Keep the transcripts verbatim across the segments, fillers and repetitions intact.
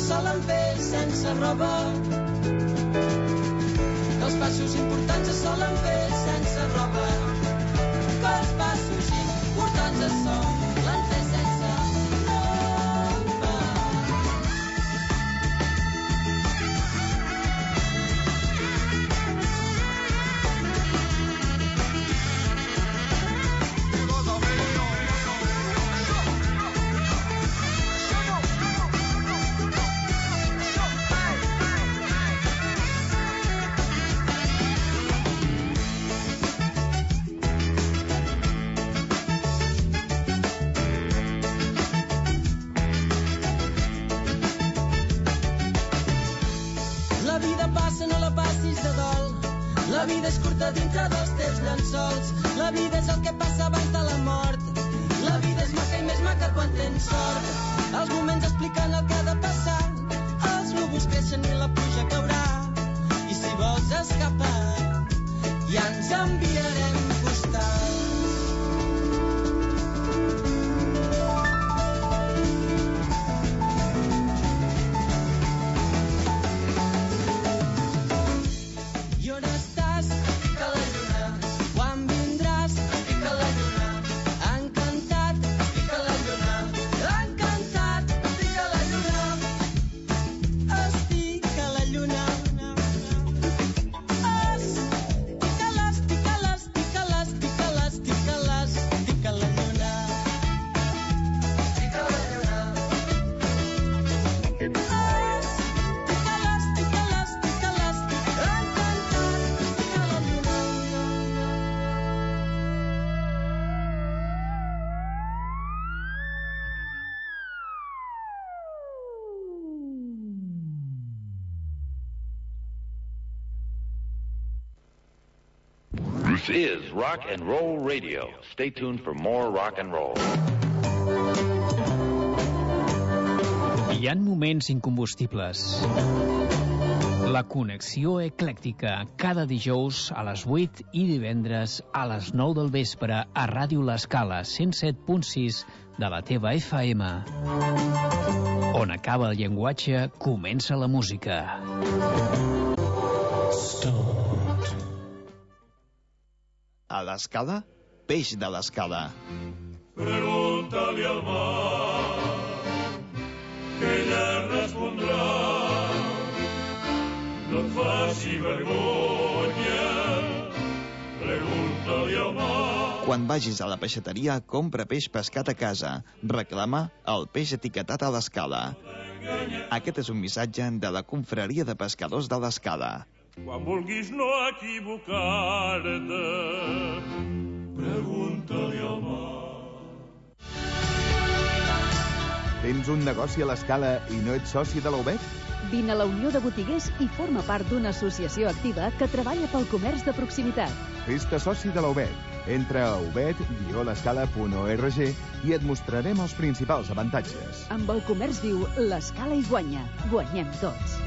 solen fer sense roba, que els passos importants es solen fer sense roba, que els passos importants es solen fer sense roba. La vida passa, no la passis de dol. La vida és curta dintre dels teus llençols. La vida és el que passa abans de la mort. La vida és maca i més maca quan tens sort. Els moments expliquen el que ha de passar. Els núvols creixen i la pluja caurà. I si vols escapar, ja ens enviarem postals. I on estàs? Estic a la lluna. Quan vindràs? Estic a la lluna. Encantat, estic a la lluna. Encantat, estic a la lluna. Estic a la lluna. Estic a les, estic a les, estic a les, estic a les, estic a les, estic a la lluna. Estic a la lluna. Estic a les, estic a les, estic a les, estic a les, encantat. This is Rock and Roll Radio. Stay tuned for more rock and roll. Hi ha moments incombustibles. La connexió eclèctica, cada dijous a les vuit i divendres a les nou del vespre a Ràdio L'Escala, cent set punt sis de la teva F M. On acaba el llenguatge, comença la música. A l'Escala, peix de l'Escala. Pregúntale al mar, que ella respondrà. No et faci vergonya, pregúntale al mar. Quan vagis a la peixateria, compra peix pescat a casa. Reclama el peix etiquetat a l'Escala. Aquest és un missatge de la Confraria de Pescadors de l'Escala. Quan vulguis no equivocar-te, pregunta-li al mar. Tens un negoci a l'Escala i no ets soci de la U B E T? Vine a la Unió de Botiguers i forma part d'una associació activa que treballa pel comerç de proximitat. Fes-te soci de la U B E T. Entra a u b e t guió l'escala punt org i et mostrarem els principals avantatges. Amb el comerç viu, l'Escala hi guanya. Guanyem tots.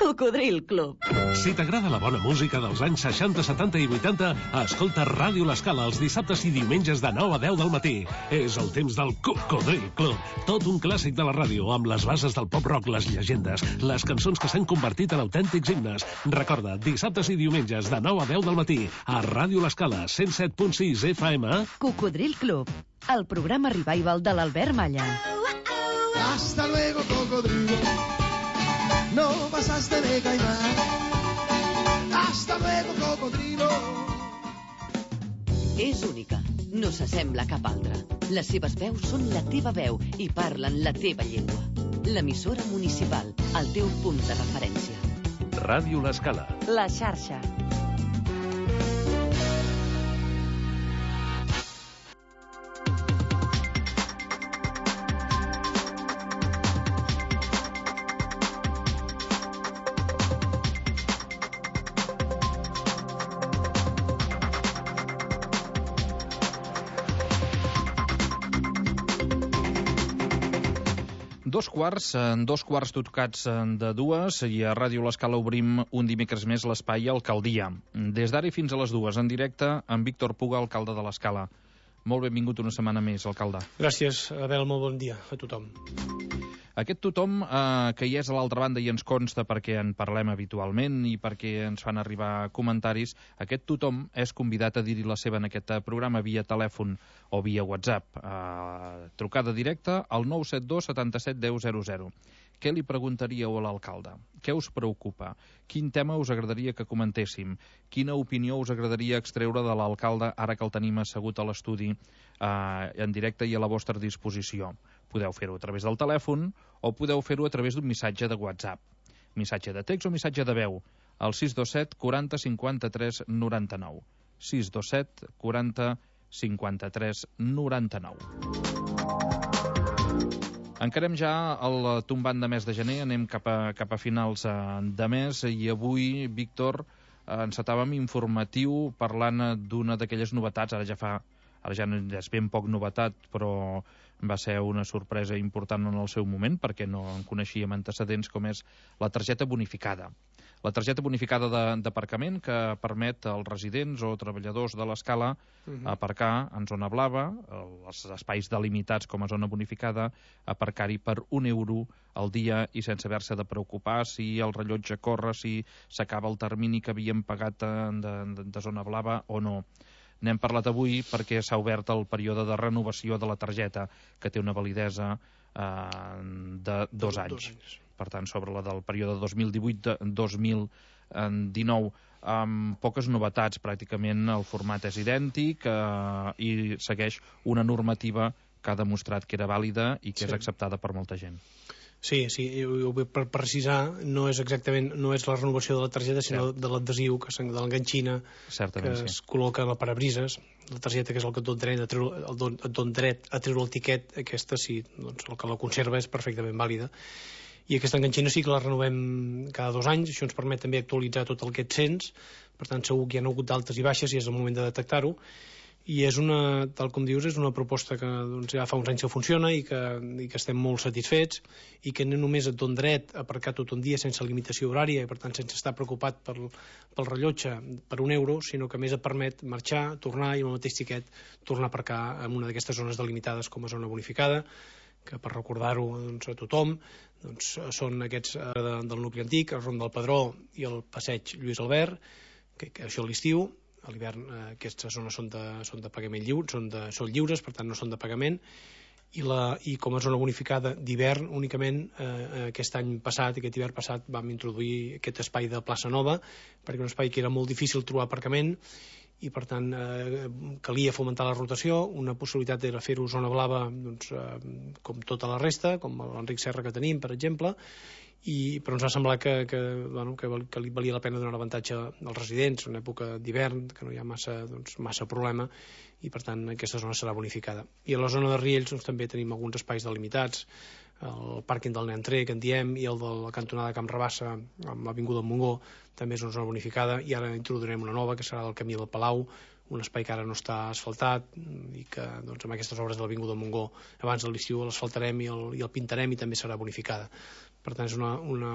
Cocodril Club. Si t'agrada la bona música dels anys seixanta, setanta i vuitanta, escolta Ràdio L'Escala els dissabtes i diumenges de nou a deu del matí. És el temps del Cocodril Club. Tot un clàssic de la ràdio, amb les bases del pop-rock, les llegendes, les cançons que s'han convertit en autèntics himnes. Recorda, dissabtes i diumenges de nou a deu del matí, a Ràdio L'Escala, cent set punt sis F M. Cocodril Club, el programa revival de l'Albert Malla. Hasta luego, cocodrilo. No pasaste de caimán. Hasta luego, cocodrilo. És única, no s'assembla a cap altra. Les seves veus són la teva veu i parlen la teva llengua. L'emissora municipal, el teu punt de referència. Ràdio L'Escala. La xarxa. Dos quarts, dos quarts tocats de dues, i a Ràdio L'Escala obrim un dimecres més l'espai Alcaldia. Des d'ara i fins a les dues, en directe, amb Víctor Puga, alcalde de l'Escala. Molt benvingut una setmana més, alcalde. Gràcies, Abel, molt bon dia a tothom. Aquest tothom eh, que hi és a l'altra banda i ens consta perquè en parlem habitualment i perquè ens fan arribar comentaris, aquest tothom és convidat a dir-hi la seva en aquest programa via telèfon o via WhatsApp. Eh, trucada directa al nou set dos setanta-set deu zero zero. Què li preguntaríeu a l'alcalde? Què us preocupa? Quin tema us agradaria que comentéssim? Quina opinió us agradaria extreure de l'alcalde ara que el tenim assegut a l'estudi eh, en directe i a la vostra disposició? Podeu fer-ho a través del telèfon o podeu fer-ho a través d'un missatge de WhatsApp. Missatge de text o missatge de veu al sis dos set quaranta cinquanta-tres noranta-nou. sis dos set quaranta cinquanta-tres noranta-nou. Encarem ja el tombant de mes de gener, anem cap a, cap a finals de mes i avui, Víctor, encetàvem informatiu parlant d'una d'aquelles novetats, ara ja fa, ara ja és ben poc novetat, però va ser una sorpresa important en el seu moment perquè no en coneixíem antecedents, com és la targeta bonificada. La targeta bonificada d'aparcament que permet als residents o treballadors de l'escala uh-huh. aparcar en zona blava, els espais delimitats com a zona bonificada, aparcar-hi per un euro al dia i sense haver-se de preocupar si el rellotge corre, si s'acaba el termini que havíem pagat de, de, de zona blava o no. N'hem parlat avui perquè s'ha obert el període de renovació de la targeta, que té una validesa eh, de dos anys. Dos anys. Per tant, sobre la del període dos mil divuit dos mil dinou, amb poques novetats, pràcticament el format és idèntic eh, i segueix una normativa que ha demostrat que era vàlida i que sí. és acceptada per molta gent. Sí, sí, per precisar, no és exactament no és la renovació de la targeta, sinó sí. de l'adhesiu, de l'enganxina, que sí. es col·loca a la parabrises. La targeta, que és el que et dona dret a treure el, don, et dona dret a treure el tiquet, aquesta sí, doncs el que la conserva és perfectament vàlida. I aquesta enganxina sí que la renovem cada dos anys, això ens permet també actualitzar tot el que et sents, per tant segur que hi ha hagut d'altes i baixes i és el moment de detectar-ho. I és una, tal com dius, és una proposta que doncs, ja fa uns anys que funciona i que, i que estem molt satisfets i que no només et dona dret a aparcar tot un dia sense limitació horària i per tant sense estar preocupat pel, pel rellotge per un euro, sinó que més et permet marxar, tornar i amb el mateix tiquet tornar a aparcar en una d'aquestes zones delimitades com a zona bonificada, que per recordar-ho doncs, a tothom doncs, són aquests eh, de, del nucli antic, el Ron del Pedró i el passeig Lluís Albert, que, que això a l'estiu. A l'hivern eh, aquestes zones són de, són de pagament lliure, són, de, són lliures, per tant no són de pagament, i, la, i com a zona bonificada d'hivern únicament eh, aquest any passat, aquest hivern passat vam introduir aquest espai de plaça Nova, perquè un espai que era molt difícil trobar aparcament i per tant eh, calia fomentar la rotació. Una possibilitat era fer-ho zona blava doncs, eh, com tota la resta, com l'Enric Serra que tenim, per exemple, I, però ens va semblar que, que, bueno, que, que li valia la pena donar l'avantatge als residents en època d'hivern, que no hi ha massa, doncs, massa problema, i per tant aquesta zona serà bonificada. I a la zona de Riells doncs, també tenim alguns espais delimitats, el pàrquing del Neantré, que en diem, i el de la cantonada Camp Rabassa amb l'Avinguda Montgó, també és una zona bonificada, i ara introduirem una nova que serà del Camí del Palau, un espai que ara no està asfaltat i que doncs, amb aquestes obres de l'Avinguda Montgó abans de l'estiu l'asfaltarem i, el, i el pintarem i també serà bonificada. Per tant és una, una,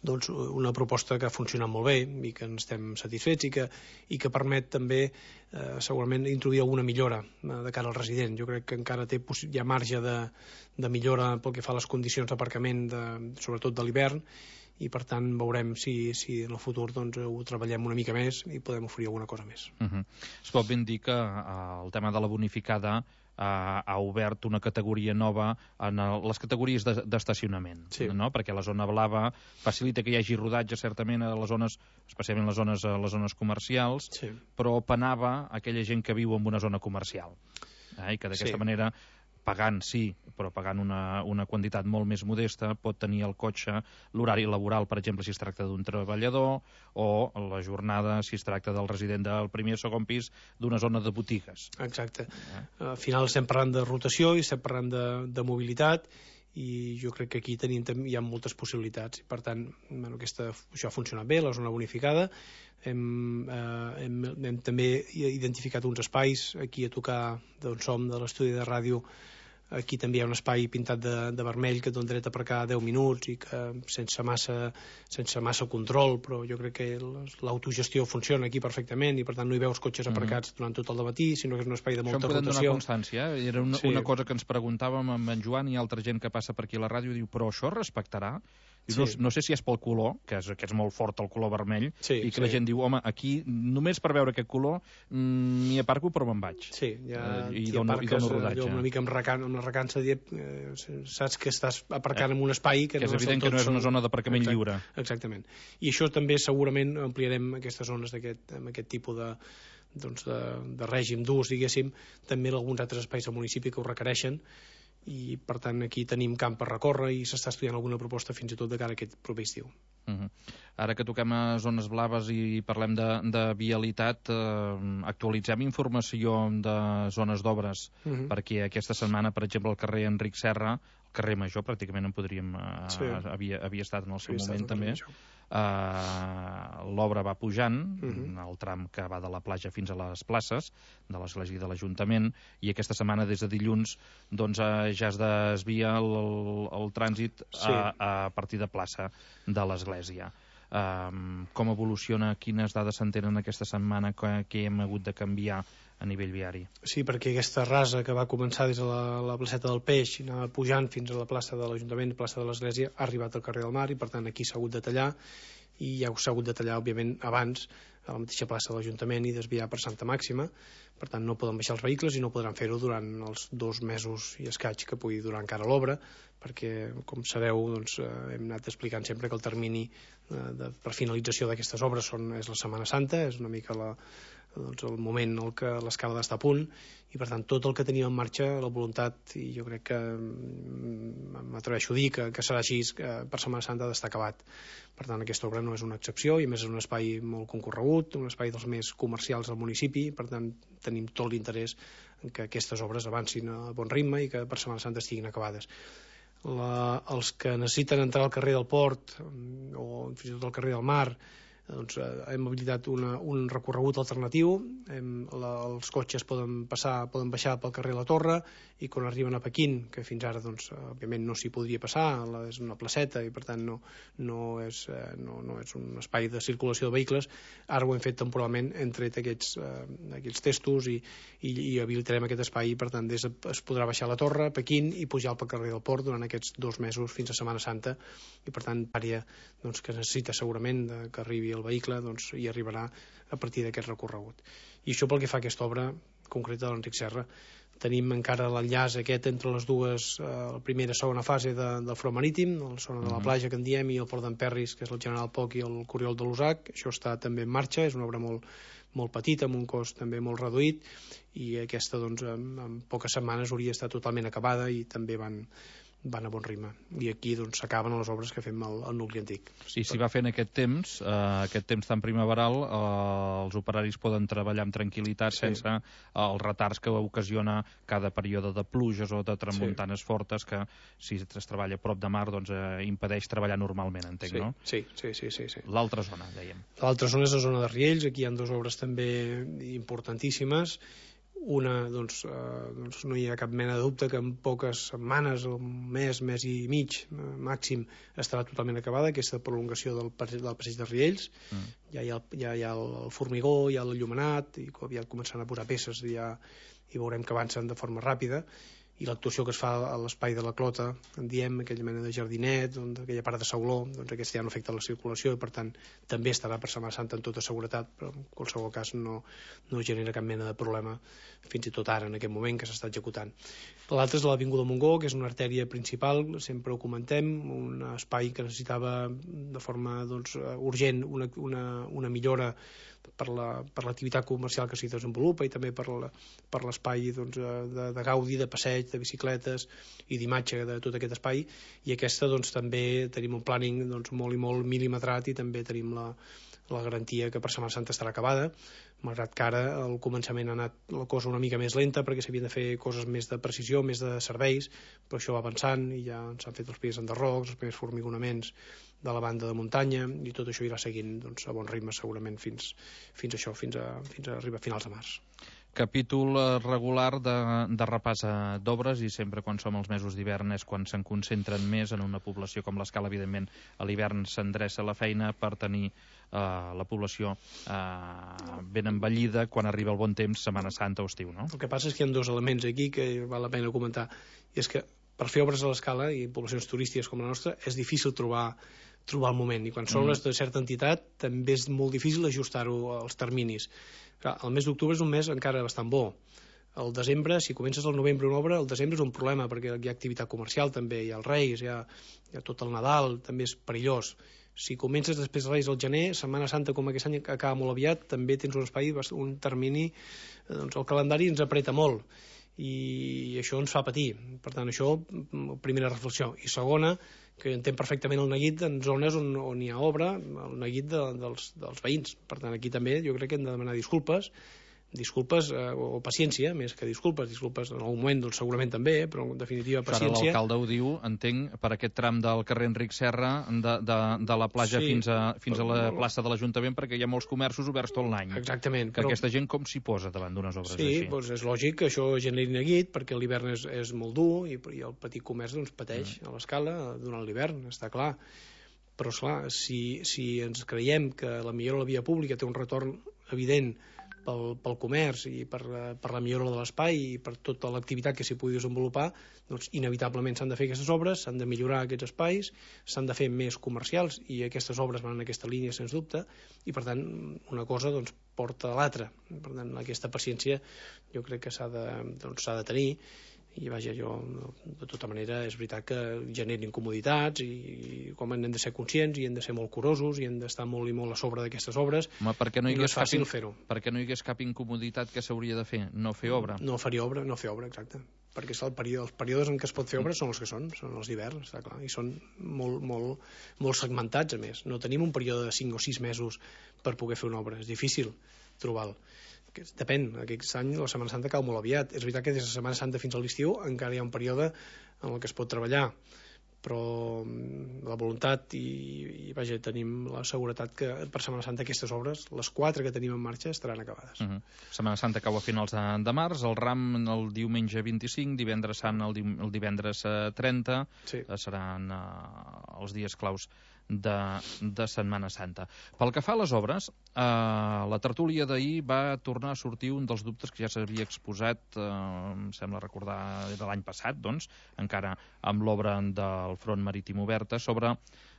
doncs, una proposta que ha funcionat molt bé i que en estem satisfets i que, i que permet també eh, segurament introduir alguna millora eh, de cara al resident. Jo crec que encara té, hi ha marge de, de millora pel que fa a les condicions d'aparcament de, sobretot de l'hivern, i per tant veurem si, si en el futur doncs, ho treballem una mica més i podem oferir alguna cosa més. Uh-huh. Es pot ben dir que uh, el tema de la bonificada uh, ha obert una categoria nova en el, les categories d'estacionament, sí. no? Perquè la zona blava facilita que hi hagi rodatge certament a les zones, especialment les zones, a les zones comercials, sí. però penava aquella gent que viu en una zona comercial eh? I que d'aquesta sí. manera pagant, sí, però pagant una, una quantitat molt més modesta, pot tenir el cotxe l'horari laboral, per exemple, si es tracta d'un treballador, o la jornada, si es tracta del resident del primer o segon pis d'una zona de botigues. Exacte. Eh? Al final estem parlant de rotació i estem parlant de, de mobilitat, i jo crec que aquí tenim, hi ha moltes possibilitats. Per tant, bueno, aquesta, això ha funcionat bé, la zona bonificada. Hem, eh, hem, hem també identificat uns espais aquí a tocar d'on som, de l'estudi de ràdio, Aquí també hi ha un espai pintat de, de vermell que et dona dret a aparcar deu minuts i que sense massa, sense massa control, però jo crec que l'autogestió funciona aquí perfectament i per tant no hi veus cotxes aparcats mm-hmm. durant tot el dematí, sinó que és un espai de molta rotació. Això en podem donar constància, eh? Era una, sí. una cosa que ens preguntàvem amb en Joan i altra gent que passa per aquí a la ràdio, diu, però això es respectarà? Sí. No, no sé si és pel color, que és, que és molt fort el color vermell, sí, i que sí. la gent diu, home, aquí només per veure aquest color m'hi mm, aparco però me'n vaig. Sí, ja eh, i dono, i dono rodatge. Una mica amb, recan, amb la recança de dir, eh, saps que estàs aparcant eh, en un espai que, que no és evident que no és una zona d'aparcament Exacte, lliure. Exactament. I això també segurament ampliarem aquestes zones d'aquest, amb aquest tipus de, doncs de, de règim d'ús, diguéssim, també en alguns altres espais del municipi que ho requereixen, i per tant aquí tenim camp per recórrer i s'està estudiant alguna proposta fins i tot de cara a aquest proper estiu. Uh-huh. Ara que toquem a zones blaves i parlem de, de vialitat, eh, actualitzem informació de zones d'obres, uh-huh. perquè aquesta setmana, per exemple, al carrer Enric Serra, el carrer Major, pràcticament en podríem... Eh, sí. havia, havia estat en el seu havia moment també. Uh, l'obra va pujant, uh-huh. el tram que va de la platja fins a les places de l'església i de l'Ajuntament, i aquesta setmana des de dilluns doncs, uh, ja es desvia el, el, el trànsit sí. a, a partir de plaça de l'església. Um, com evoluciona, quines dades s'entenen aquesta setmana que, que hem hagut de canviar a nivell viari? Sí, perquè aquesta rasa que va començar des de la, la placeta del Peix i anava pujant fins a la plaça de l'Ajuntament, plaça de l'Església, ha arribat al carrer del Mar i per tant aquí s'ha hagut de tallar, i ja s'ha hagut de tallar òbviament abans a la mateixa plaça de l'Ajuntament i desviar per Santa Màxima, per tant no poden baixar els vehicles i no podran fer-ho durant els dos mesos i escaig que pugui durar encara l'obra, perquè com sabeu doncs, hem anat explicant sempre que el termini de, de, per finalització d'aquestes obres són, és la Setmana Santa, és una mica la, doncs, el moment en què l'escala ha d'estar a punt, i per tant tot el que tenim en marxa, la voluntat, i jo crec que m'atreveixo a dir que, que serà així, que per Setmana Santa ha d'estar acabat. Per tant aquesta obra no és una excepció, i a més és un espai molt concorregut, un espai dels més comercials del municipi, per tant tenim tot l'interès en que aquestes obres avancin a bon ritme i que per Setmana Santa estiguin acabades. La, els que necessiten entrar al carrer del Port o fins i tot al carrer del Mar, doncs, hem habilitat una, un recorregut alternatiu, hem, la, els cotxes poden passar, poden baixar pel carrer La Torre, i quan arriben a Pequín, que fins ara doncs, òbviament no s'hi podria passar, la, és una placeta i per tant no, no, és, no, no és un espai de circulació de vehicles, ara ho hem fet temporalment, hem tret aquests, eh, aquests testos i, i, i habilitarem aquest espai, i per tant des, es podrà baixar a La Torre, Pequín, i pujar pel carrer del Port durant aquests dos mesos fins a Setmana Santa, i per tant àrea doncs, que necessita segurament de, que arribi el vehicle, doncs hi arribarà a partir d'aquest recorregut. I això pel que fa a aquesta obra concreta de l'Enric Serra. Tenim encara l'enllaç aquest entre les dues, eh, la primera i segona fase de, del front marítim, la zona de la platja que en diem, i el port d'Emperris, que és el General Poc i el Coriol de l'Usac. Això està també en marxa, és una obra molt, molt petita, amb un cost també molt reduït, i aquesta doncs, en, en poques setmanes hauria estat totalment acabada i també van, van a bon ritme. I aquí doncs s'acaben les obres que fem al, al nucli antic. Sí, si va fent aquest temps, eh, aquest temps tan primaveral, eh, els operaris poden treballar amb tranquil·litat, sí, sense eh, els retards que ocasiona cada període de pluges o de tramuntanes sí. fortes, que si es treballa a prop de mar doncs eh, impedeix treballar normalment, entenc, sí, no? Sí, sí, sí, sí, sí. L'altra zona, dèiem. L'altra zona és la zona de Riells, aquí hi ha dues obres també importantíssimes. Una, doncs, eh, doncs no hi ha cap mena de dubte que en poques setmanes, un mes, mes i mig eh, màxim, estarà totalment acabada aquesta prolongació del, del passeig de Riells. Mm. Ja hi ha, ja hi ha el formigó, hi ha l'enllumenat, i aviat començant a posar peces i, ja, i veurem que avancen de forma ràpida. I l'actuació que es fa a l'espai de la Clota, en diem, aquella mena de jardinet, doncs, aquella part de sauló, doncs aquesta ja no afecta la circulació i per tant també estarà per Setmana Santa en tota seguretat, però en qualsevol cas no, no genera cap mena de problema fins i tot ara, en aquest moment que s'està executant. L'altre és l'Avinguda Montgó, que és una artèria principal, sempre ho comentem, un espai que necessitava de forma doncs, urgent una, una, una millora per la, per l'activitat comercial que s'hi desenvolupa i també per la, per l'espai doncs, de, de gaudi, de passeig, de bicicletes i d'imatge de tot aquest espai, i aquesta doncs, també tenim un planning doncs, molt i molt mil·limetrat i també tenim la, la garantia que per Setmana Santa estarà acabada, malgrat que ara al començament ha anat la cosa una mica més lenta perquè s'havien de fer coses més de precisió, més de serveis, però això va avançant i ja s'han fet els primers enderrocs, els primers formigonaments de la banda de muntanya, i tot això irà seguint doncs, a bon ritme segurament fins, fins a això, fins a, fins a arribar a finals de març. Capítol regular de, de repàs d'obres, i sempre quan som els mesos d'hivern és quan se'n concentren més en una població com l'Escala. Evidentment, a l'hivern s'endreça la feina per tenir eh, la població eh, ben envellida quan arriba el bon temps, Setmana Santa o estiu, no? El que passa és que hi ha dos elements aquí que val la pena comentar, i és que per fer obres a l'Escala i poblacions turístiques com la nostra és difícil trobar trobar el moment, i quan s'obres de certa entitat també és molt difícil ajustar-ho als terminis. Clar, el mes d'octubre és un mes encara bastant bo. El desembre, si comences al novembre una obra, el desembre és un problema perquè hi ha activitat comercial també, hi ha els Reis, hi ha, hi ha tot el Nadal, també és perillós. Si comences després dels Reis al gener, Setmana Santa com aquest any acaba molt aviat, també tens un espai, un termini, doncs el calendari ens apreta molt i això ens fa patir. Per tant, això, primera reflexió. I segona, que entenc perfectament el neguit en zones on, on hi ha obra, el neguit de, dels, dels veïns. Per tant, aquí també jo crec que hem de demanar disculpes, disculpes eh, o paciència, més que disculpes, disculpes en algun moment doncs, segurament també, eh, però en definitiva paciència. Ara l'alcalde ho diu, entenc, per aquest tram del carrer Enric Serra de, de, de la platja sí, fins, a, fins a la plaça de l'Ajuntament, perquè hi ha molts comerços oberts tot l'any. Exactament. Que però... aquesta gent com s'hi posa davant d'unes obres sí, així? Sí, doncs és lògic que això generi neguit, perquè l'hivern és, és molt dur i, i el petit comerç doncs, pateix mm. a l'Escala durant l'hivern, està clar. Però, esclar, si, si ens creiem que la millora de la via pública té un retorn evident Pel, pel comerç i per, per la millora de l'espai i per tota l'activitat que s'hi pugui desenvolupar, doncs inevitablement s'han de fer aquestes obres, s'han de millorar aquests espais, s'han de fer més comercials i aquestes obres van en aquesta línia sens dubte, i per tant una cosa doncs, porta a l'altra. Per tant, aquesta paciència jo crec que s'ha de, doncs, s'ha de tenir, i vaja, jo de tota manera és veritat que generen incomoditats i, i com hem de ser conscients i hem de ser molt curosos i hem d'estar molt i molt a sobre d'aquestes obres. Home, perquè no hi no és fàcil cap, fer-ho. Perquè no hi hagués cap incomoditat que s'hauria de fer, no fer obra. No fer obra, no fer obra, exacte. Perquè el període, els períodes en què es pot fer obra són els que són, són els d'hivern, està clar, i són molt, molt, molt segmentats, a més. No tenim un període de cinc o sis mesos per poder fer una obra, és difícil trobar-lo. Depèn, aquest any la Setmana Santa cau molt aviat. És veritat que des de la Setmana Santa fins a l'estiu encara hi ha un període en el que es pot treballar, però la voluntat i, i vaja, tenim la seguretat que per Setmana Santa aquestes obres, les quatre que tenim en marxa, estaran acabades. Uh -huh. Setmana Santa cau a finals de, de març, el Ram el diumenge vint-i-cinc, divendres Sant el, di, el divendres trenta, sí. Seran uh, els dies claus de, de Setmana Santa. Pel que fa a les obres, eh, la tertúlia d'ahir va tornar a sortir un dels dubtes que ja s'havia exposat, eh, em sembla recordar de l'any passat, doncs, encara amb l'obra del Front Marítim Oberta, sobre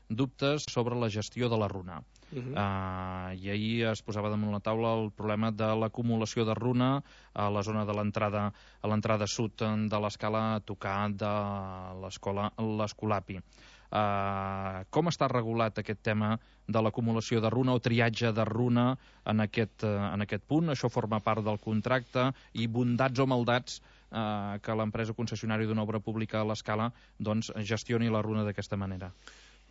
dubtes sobre la gestió de la runa. Uh -huh. uh, I ahir es posava damunt la taula el problema de l'acumulació de runa a la zona de l'entrada a l'entrada sud de l'Escala a tocar de l'escola l'Escolapi. Uh, com està regulat aquest tema de l'acumulació de runa o triatge de runa en aquest, uh, en aquest punt? Això forma part del contracte i bondats o maldats uh, que l'empresa concessionària d'una obra pública a l'Escala doncs, gestioni la runa d'aquesta manera?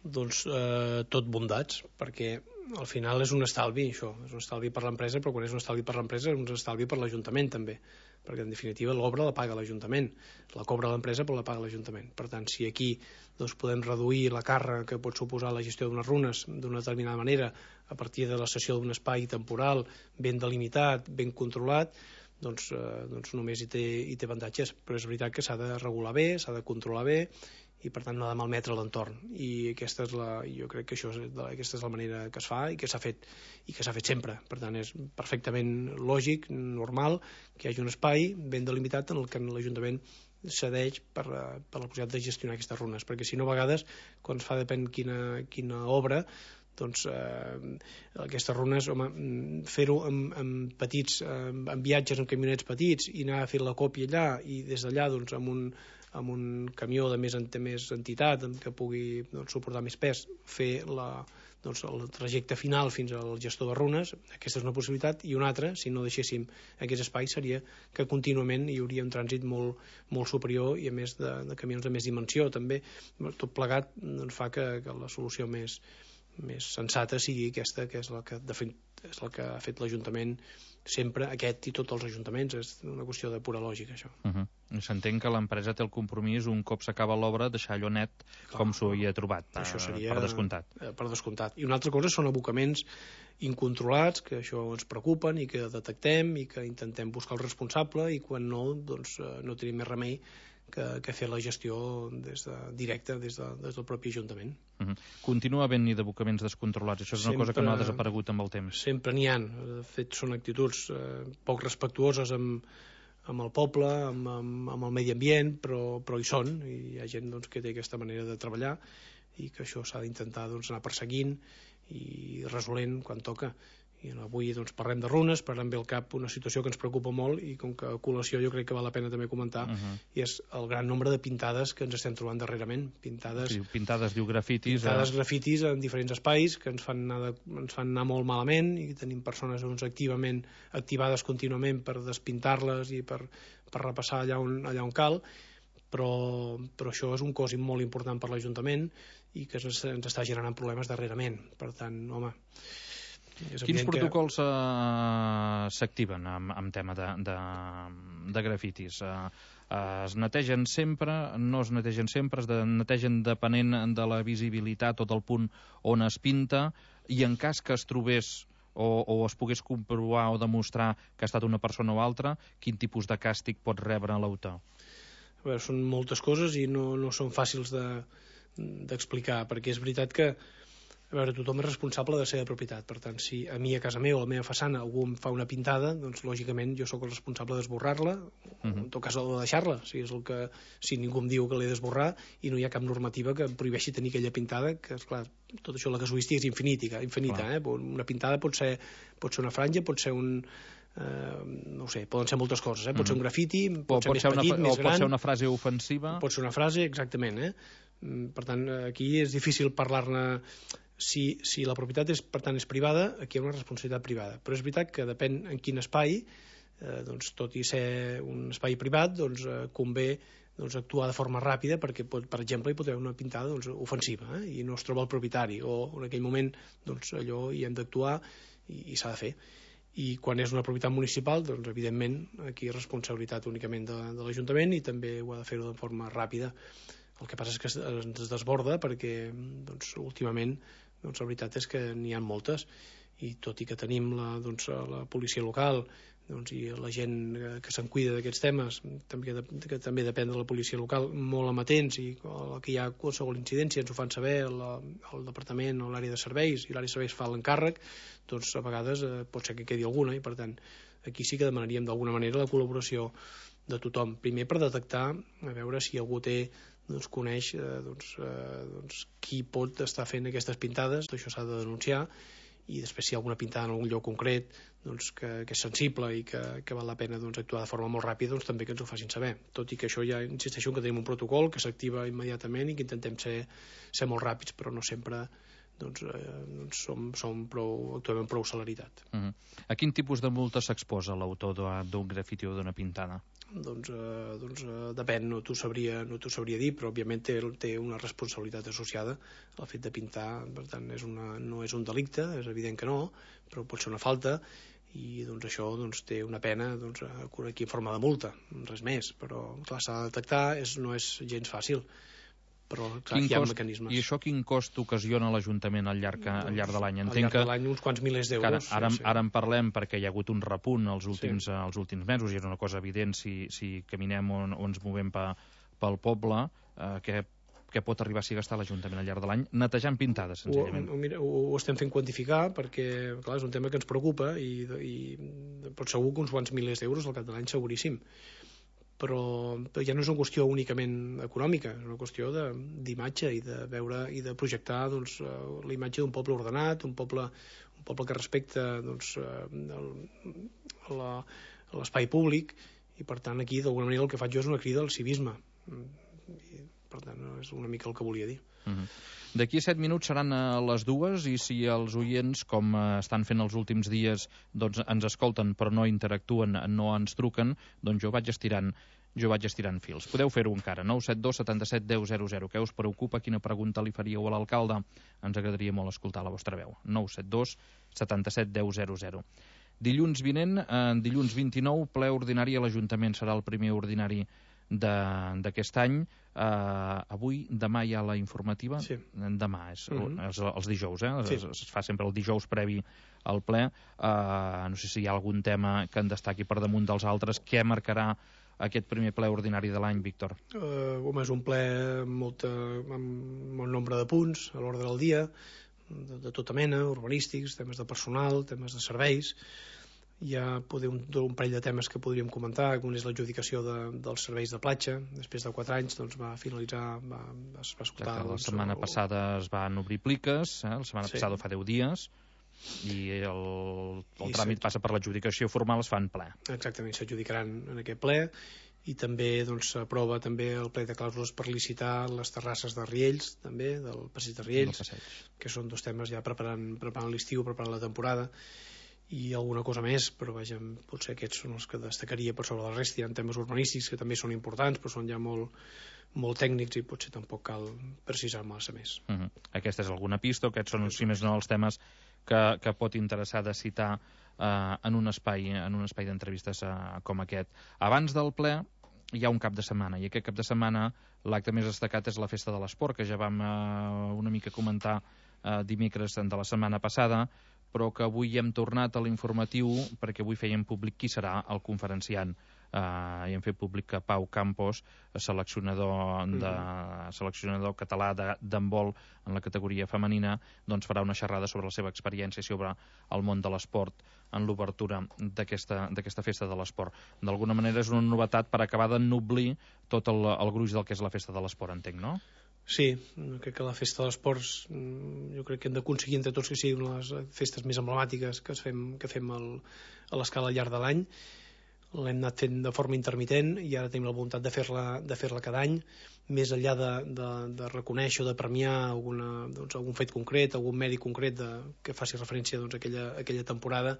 Doncs eh, tot bondats, perquè al final és un estalvi, això, és un estalvi per l'empresa, però quan és un estalvi per l'empresa és un estalvi per l'Ajuntament també, perquè en definitiva l'obra la paga l'Ajuntament, la cobra l'empresa però la paga l'Ajuntament. Per tant, si aquí doncs, podem reduir la càrrega que pot suposar la gestió d'unes runes d'una determinada manera a partir de la cessió d'un espai temporal ben delimitat, ben controlat, doncs, eh, doncs només hi té, hi té avantatges, però és veritat que s'ha de regular bé, s'ha de controlar bé i per tant no ha de malmetre l'entorn, i aquesta és la, jo crec que això és, aquesta és la manera que es fa i que s'ha fet i que s'ha fet sempre. Per tant és perfectament lògic, normal que hi hagi un espai ben delimitat en el que l'Ajuntament cedeix per, per la possibilitat de gestionar aquestes runes, perquè si no a vegades quan es fa depèn quina, quina obra doncs eh, aquestes runes, home, fer-ho amb, amb petits, amb, amb viatges amb camionets petits i anar a fer la còpia allà i des d'allà doncs amb un amb un camió de més, de més entitat que pugui doncs, suportar més pes, fer la, doncs, el trajecte final fins al gestor de runes, aquesta és una possibilitat, i una altra, si no deixéssim aquests espais, seria que contínuament hi hauria un trànsit molt, molt superior i a més de, de camions de més dimensió també. Tot plegat doncs, fa que, que la solució més, més sensata sigui aquesta, que és la que, de fet, és la que ha fet l'Ajuntament sempre aquest i tots els ajuntaments, és una qüestió de pura lògica, això. Uh -huh. S'entén que l'empresa té el compromís, un cop s'acaba l'obra, deixar allò net com s'ho havia trobat, això seria, per descomptat. Per descomptat. I una altra cosa són abocaments incontrolats, que això ens preocupen i que detectem i que intentem buscar el responsable, i quan no, doncs no tenim més remei que, que fer la gestió des de, directa des, de, des del propi Ajuntament. Uh -huh. Continua havent-hi d'abocaments descontrolats, això és una sempre, cosa que no ha desaparegut amb el temps. Sempre n'hi ha, de fet són actituds eh, poc respectuoses amb, amb el poble, amb, amb, amb el medi ambient, però, però hi són, i hi ha gent doncs, que té aquesta manera de treballar i que això s'ha d'intentar doncs, anar perseguint i resolent quan toca. I avui doncs, parlem de runes, parlem bé al cap una situació que ens preocupa molt, i com que a col·lació jo crec que val la pena també comentar, uh -huh. i és el gran nombre de pintades que ens estem trobant darrerament. Pintades, sí, pintades diu grafitis. Pintades eh... grafitis en diferents espais que ens fan, anar de, ens fan anar molt malament, i tenim persones doncs, activament activades contínuament per despintar-les i per, per repassar allà on, allà on cal, però, però això és un cost molt important per l'Ajuntament i que ens, ens està generant problemes darrerament. Per tant, home... Quins protocols que... uh, s'activen amb, amb tema de, de, de grafitis? Uh, uh, es netegen sempre, no es netegen sempre, es de, netegen depenent de la visibilitat o del punt on es pinta, i en cas que es trobés o, o es pogués comprovar o demostrar que ha estat una persona o altra, quin tipus de càstig pot rebre l'autor? A veure, són moltes coses i no, no són fàcils de, d'explicar, perquè és veritat que a veure, tothom és responsable de la seva propietat. Per tant, si a mi a casa meva o a la meva façana algú em fa una pintada, doncs lògicament jo sóc el responsable d'esborrar-la, uh-huh. o en tot cas de deixar-la, si és el que, si ningú em diu que l'he d'esborrar i no hi ha cap normativa que em prohibeixi tenir aquella pintada, que esclar, tot això la casuística és infinita, infinita eh? Una pintada pot ser, pot ser una franja, pot ser un... Uh, no ho sé, poden ser moltes coses, eh? Pot uh-huh. ser un grafiti, pot, pot ser més petit, una, més o gran... pot ser una frase ofensiva... Pot ser una frase, exactament, eh? Per tant, aquí és difícil parlar-ne. Si, si la propietat és, per tant, és privada, aquí hi ha una responsabilitat privada. Però és veritat que depèn en quin espai, eh, doncs, tot i ser un espai privat, doncs, eh, convé doncs, actuar de forma ràpida, perquè, pot, per exemple, hi pot haver una pintada doncs, ofensiva, eh, i no es troba el propietari, o en aquell moment doncs, allò hi hem d'actuar i, i s'ha de fer. I quan és una propietat municipal, doncs, evidentment, aquí és responsabilitat únicament de, de l'Ajuntament, i també ho ha de fer-ho de forma ràpida. El que passa és que ens desborda perquè doncs, últimament doncs, la veritat és que n'hi ha moltes, i tot i que tenim la, doncs, la policia local doncs, i la gent que se'n cuida d'aquests temes, també, que també depèn de la policia local, molt amatents, i que hi ha qualsevol incidència ens ho fan saber el, el departament o l'àrea de serveis, i l'àrea de serveis fa l'encàrrec, doncs a vegades eh, pot ser que quedi alguna, i per tant aquí sí que demanaríem d'alguna manera la col·laboració de tothom, primer per detectar a veure si algú té doncs coneix eh, doncs, eh, doncs, qui pot estar fent aquestes pintades, això s'ha de denunciar, i després si hi ha alguna pintada en algun lloc concret doncs, que, que és sensible i que, que val la pena doncs, actuar de forma molt ràpida, doncs també que ens ho facin saber, tot i que això ja insisteixo que tenim un protocol que s'activa immediatament i que intentem ser, ser molt ràpids, però no sempre doncs, eh, doncs som, som prou, actuem amb prou celeritat. Uh-huh. A quin tipus de multa s'exposa l'autor d'un grafiti o d'una pintada? Doncs, eh, doncs eh, depèn, no t'ho sabria, no t'ho sabria dir, però òbviament té, té una responsabilitat associada al fet de pintar, per tant és una, no és un delicte, és evident que no, però pot ser una falta, i doncs això doncs, té una pena doncs, aquí en forma de multa, res més, però clar, s'ha de detectar, és, no és gens fàcil, però clar, hi ha cost, mecanismes. I això quin cost ocasiona l'Ajuntament al llarg, al llarg de l'any? Al llarg de l'any uns quants milers d'euros. Ara, sí, sí. ara en parlem perquè hi ha hagut un repunt els últims, sí. els últims mesos, i és una cosa evident si, si caminem o, o ens movem pe, pel poble, eh, que, que pot arribar a gastar l'Ajuntament al llarg de l'any netejant pintades, senzillament. Ho, mira, ho, ho estem fent quantificar perquè clar, és un tema que ens preocupa, i, i però segur que uns quants milers d'euros al cap de l'any seguríssim. Però ja no és una qüestió únicament econòmica, és una qüestió d'imatge i de veure i de projectar doncs, la imatge d'un poble ordenat, un poble, un poble que respecta doncs, l'espai públic, i per tant aquí d'alguna manera el que faig jo és una crida al civisme, i per tant és una mica el que volia dir. Uh-huh. D'aquí a set minuts seran a les dues, i si els oients, com estan fent els últims dies, doncs ens escolten però no interactuen, no ens truquen, doncs jo vaig estirant jo vaig estirant fils. Podeu fer-ho encara, nou set dos setanta-set deu zero zero. Què us preocupa? Quina pregunta li faríeu a l'alcalde? Ens agradaria molt escoltar la vostra veu. nou set dos setanta-set deu zero zero. Dilluns vinent, eh, dilluns vint-i-nou, ple ordinari a l'Ajuntament. Serà el primer ordinari d'aquest any. Uh, avui, demà hi ha la informativa. Sí. Demà, és, uh -huh. és els dijous, eh? Sí. Es, es fa sempre el dijous previ al ple. Uh, no sé si hi ha algun tema que en destaqui per damunt dels altres. Què marcarà aquest primer ple ordinari de l'any, Víctor? Uh, home, és un ple amb, molta, amb molt nombre de punts a l'ordre del dia, de, de tota mena, urbanístics, temes de personal, temes de serveis. Hi ha poder un, un parell de temes que podríem comentar. Un és l'adjudicació de, dels serveis de platja. Després de quatre anys doncs, va finalitzar, va, es va escoltar... Exacte, la doncs, setmana el... passada es van obrir pliques, eh? La setmana sí. passada fa deu dies, i el, el I tràmit passa per l'adjudicació formal, es fa en ple. Exactament, s'adjudicaran en aquest ple, i també doncs, s'aprova també el ple de clàusules per licitar les terrasses de Riells, també, del passeig de Riells, que són dos temes ja preparant, preparant l'estiu, preparant la temporada, i alguna cosa més, però vaja, potser aquests són els que destacaria per sobre la resta. Hi ha temes urbanístics que també són importants, però són ja molt, molt tècnics i potser tampoc cal precisar massa més. Uh -huh. Aquesta és alguna pista, aquests són, si més no, els temes que, que pot interessar de citar eh, en un espai, en un espai d'entrevistes eh, com aquest. Abans del ple hi ha un cap de setmana, i aquest cap de setmana l'acte més destacat és la Festa de l'Esport, que ja vam eh, una mica comentar eh, dimecres de la setmana passada, però que avui hem tornat a l'informatiu perquè avui fèiem públic qui serà el conferenciant. Uh, i hem fet públic que Pau Campos, seleccionador, de, seleccionador català d'handbol en la categoria femenina, doncs farà una xerrada sobre la seva experiència sobre el món de l'esport en l'obertura d'aquesta festa de l'esport. D'alguna manera és una novetat per acabar d'ennoblir tot el, el gruix del que és la festa de l'esport, entenc, no? Sí, crec que la festa de l'esports jo crec que hem d'aconseguir entre tots que siguin les festes més emblemàtiques que fem, que fem el, a l'escala al llarg de l'any. L'hem anat fent de forma intermitent i ara tenim la voluntat de fer-la de fer-la cada any, més enllà de, de, de reconèixer o de premiar alguna, doncs, algun fet concret, algun mèrit concret de, que faci referència doncs, a aquella, a aquella temporada.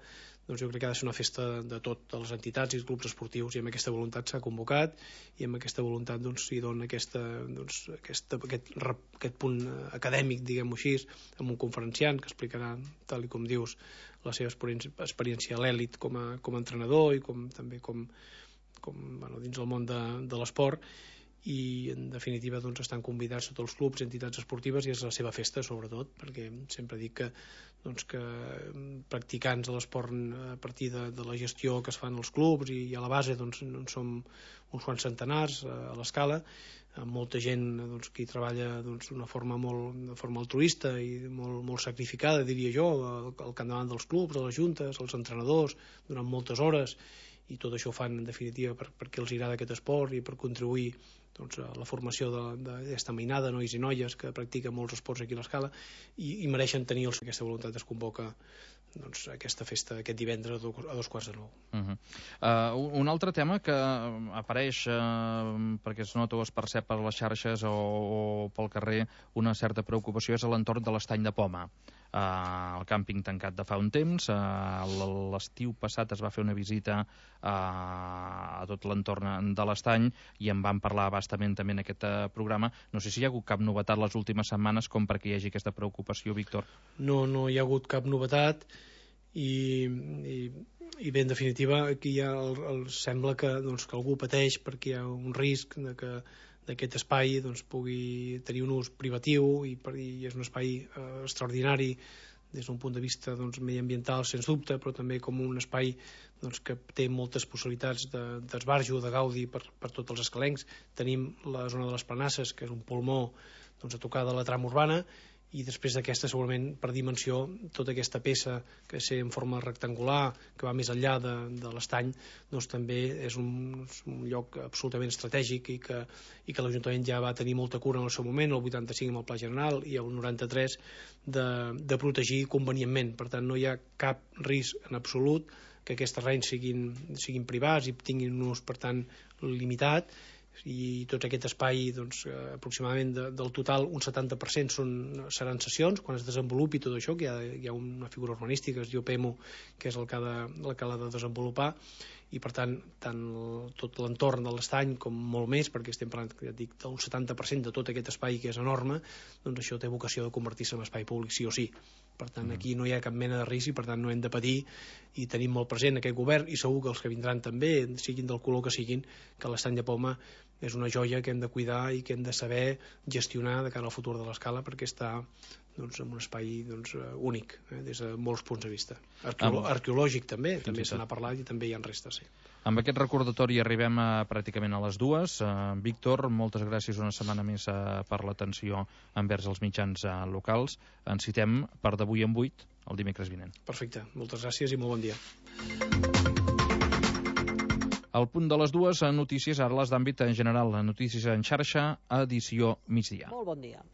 Doncs jo crec que ha de ser una festa de tot, de les entitats i els grups esportius, i amb aquesta voluntat s'ha convocat, i amb aquesta voluntat doncs, s'hi dona aquesta, doncs, aquesta, aquest, aquest punt acadèmic, diguem-ho així, amb un conferenciant que explicarà, tal i com dius, la seva experiència a l'èlit com a, com a entrenador i com, també com, com bueno, dins el món de, de l'esport, i en definitiva doncs, estan convidats tots els clubs, entitats esportives, i és la seva festa sobretot, perquè sempre dic que, doncs, que practicants de l'esport a partir de, de la gestió que es fan als clubs i, i a la base doncs, en som uns quants centenars a l'escala, amb molta gent doncs, que hi treballa doncs, d'una forma molt de forma altruista i molt, molt sacrificada, diria jo, al, al capdavant dels clubs, a les juntes, als entrenadors, durant moltes hores, i tot això ho fan en definitiva per, perquè els agrada aquest esport i per contribuir doncs, a la formació d'aquesta mainada de nois i noies que practiquen molts esports aquí a l'escala, i, i mereixen tenir els, aquesta voluntat. Es convoca doncs, aquesta festa aquest divendres a dos, a dos quarts de nou. Uh -huh. uh, un altre tema que apareix uh, perquè es nota o es percep per les xarxes o, o pel carrer una certa preocupació és a l'entorn de l'estany de Poma. Uh, el càmping tancat de fa un temps, uh, l'estiu passat es va fer una visita uh, a tot l'entorn de l'estany i en vam parlar bastament també en aquest uh, programa. No sé si hi ha hagut cap novetat les últimes setmanes com perquè hi hagi aquesta preocupació, Víctor. No, no hi ha hagut cap novetat i, i, i bé, en definitiva aquí ja el, el, sembla que, doncs, que algú pateix perquè hi ha un risc de que d'aquest espai doncs, pugui tenir un ús privatiu i, i és un espai eh, extraordinari des d'un punt de vista doncs, mediambiental, sens dubte, però també com un espai doncs, que té moltes possibilitats d'esbarjo, de, de gaudi per, per tots els escalencs. Tenim la zona de les Planasses, que és un pulmó doncs, a tocar de la trama urbana, i després d'aquesta segurament per dimensió tota aquesta peça que sé en forma rectangular que va més enllà de, de l'estany doncs també és un, un lloc absolutament estratègic i que, i que l'Ajuntament ja va tenir molta cura en el seu moment, el vuitanta-cinc amb el Pla General i el noranta-tres de, de protegir convenientment. Per tant no hi ha cap risc en absolut que aquests terrenys siguin, siguin privats i tinguin un ús per tant limitat, i tot aquest espai doncs, aproximadament de, del total un setanta per cent són, seran sessions quan es desenvolupi tot això, que hi ha, hi ha una figura urbanística que es diu P E M O, que és el que ha de, el que ha de desenvolupar, i per tant, tant tot l'entorn de l'estany com molt més, perquè estem parlant, ja dic, d'un setanta per cent de tot aquest espai que és enorme, doncs això té vocació de convertir-se en espai públic sí o sí. Per tant, aquí no hi ha cap mena de risc i per tant no hem de patir, i tenim molt present aquest govern, i segur que els que vindran també, siguin del color que siguin, que l'estany de Poma és una joia que hem de cuidar i que hem de saber gestionar de cara al futur de l'Escala, perquè està doncs, en un espai doncs, únic, eh, des de molts punts de vista. Arqueolo ah, arqueològic també, també se n'ha parlat i també hi ha restes, sí. Amb aquest recordatori arribem a, pràcticament a les dues. Uh, Víctor, moltes gràcies una setmana més uh, per l'atenció envers els mitjans uh, locals. Ens citem per d'avui en vuit, el dimecres vinent. Perfecte, moltes gràcies i molt bon dia. Al punt de les dues, notícies, ara les d'àmbit en general, notícies en xarxa, edició migdia. Molt bon dia.